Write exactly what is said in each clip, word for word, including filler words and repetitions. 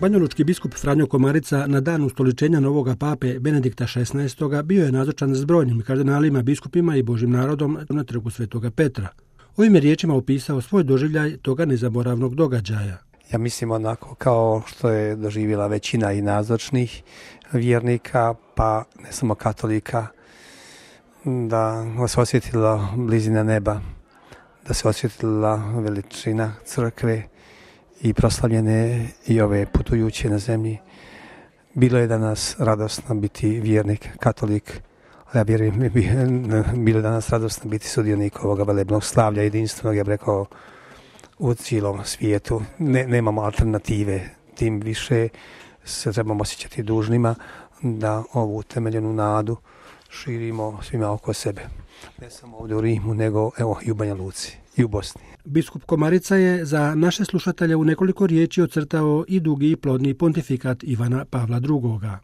Banjalučki biskup Franjo Komarica na dan ustoličenja novoga pape Benedikta šesnaestog. bio je nazočan s brojnim kardinalima, biskupima i Božim narodom na trgu Svetoga Petra. Ovim je riječima opisao svoj doživljaj toga nezaboravnog događaja. Ja mislim onako kao što je doživjela većina i nazočnih vjernika, pa ne samo katolika, da se osjetila blizina neba, da se osjetila veličina crkve i proslavljene i ove putujuće na zemlji. Bilo je danas radosno biti vjernik, katolik, ali ja vjerujem, bilo je danas radosno biti sudionik ovoga velebnog slavlja jedinstvenog, ja bih rekao, u cijelom svijetu. Ne, nemamo alternative, tim više se trebamo osjećati dužnima da ovu temeljenu nadu širimo svima oko sebe. Ne samo ovdje u Rimu, nego evo i u Banja Luci i u Bosni. Biskup Komarica je za naše slušatelje u nekoliko riječi ocrtao i dugi i plodni pontifikat Ivana Pavla drugoga.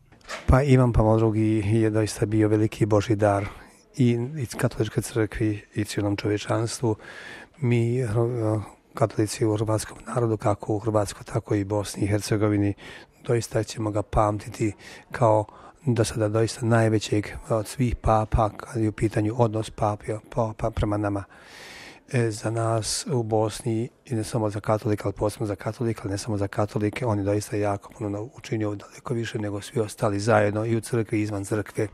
Pa Ivan Pavao drugi je doista bio veliki Božji dar i, i katoličkoj crkvi i cijelom čovječanstvu. Mi katolici u hrvatskom narodu, kako u Hrvatskoj, tako i Bosni i Hercegovini, doista ćemo ga pamtiti kao do sada doista najvećeg od svih papa, kad je u pitanju odnos pape, papa prema nama. E, za nas u Bosni, i ne samo za katolika, ali posebno za katolika, ali ne samo za katolike, on je doista jako puno učinio, daleko više nego svi ostali zajedno i u crkvi i izvan crkve.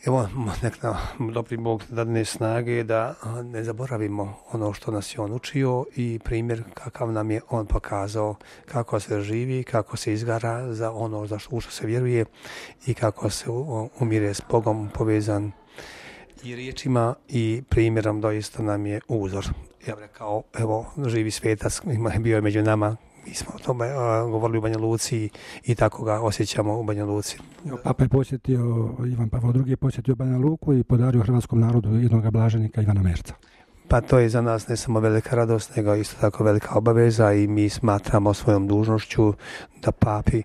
Evo, nek nam dobri Bog dadne snage da ne zaboravimo ono što nas je on učio i primjer kakav nam je on pokazao, kako se živi, kako se izgara za ono za što, u što se vjeruje i kako se umire s Bogom povezan i riječima i primjerom doista nam je uzor. Ja bih rekao, evo, živi svetac, bio je među nama. Mi smo o tome uh, govorili u Banja Luci i tako ga osjećamo u Banja Luci. Papa je posjetio, Ivan Pavao drugi je posjetio Banja Luku i podario hrvatskom narodu jednog blaženika Ivana Merca. Pa to je za nas ne samo velika radost, nego isto tako velika obaveza i mi smatramo svojom dužnošću da papi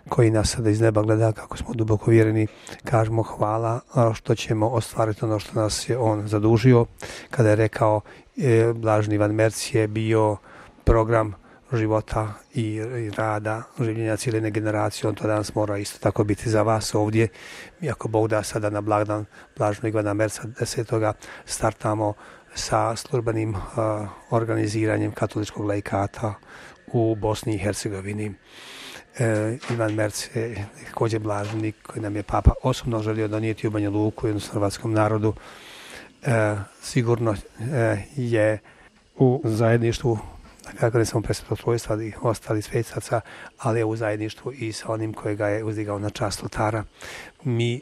koji nas sada iz neba gleda, kako smo duboko vjereni, kažemo hvala što ćemo ostvariti ono što nas je on zadužio. Kada je rekao e, blaženi Ivan Merc je bio program života i rada, življenja cijele generacije, on to danas mora isto tako biti za vas ovdje. Iako Bog da sada na blagdan blaženog Ivana Merca desetoga startamo sa službenim uh, organiziranjem katoličkog laikata u Bosni i Hercegovini. E, Ivan Merc je također blaženik koji nam je Papa osobno želio donijeti u Banja Luku i u hrvatskom narodu. E, sigurno e, je u zajedništvu, kako ne samo presvetog trojstva, ali ostali svetaca, ali je u zajedništvu i sa onim kojega je uzdigao na čast oltara. Mi,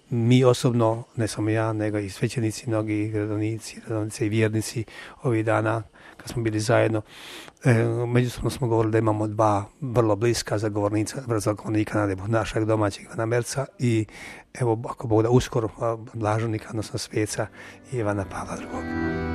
mi osobno, ne samo ja, nego i svećenici, mnogi gradovnici, gradovnice i vjernici ovih dana, kad smo bili zajedno, e, međusobno smo govorili da imamo dva vrlo bliska zagovornika, zagovornika na nebu, našeg domaćeg Ivana Merca i evo, ako Bog da uskoro blaženika, odnosno sveca Ivana Pavla drugog.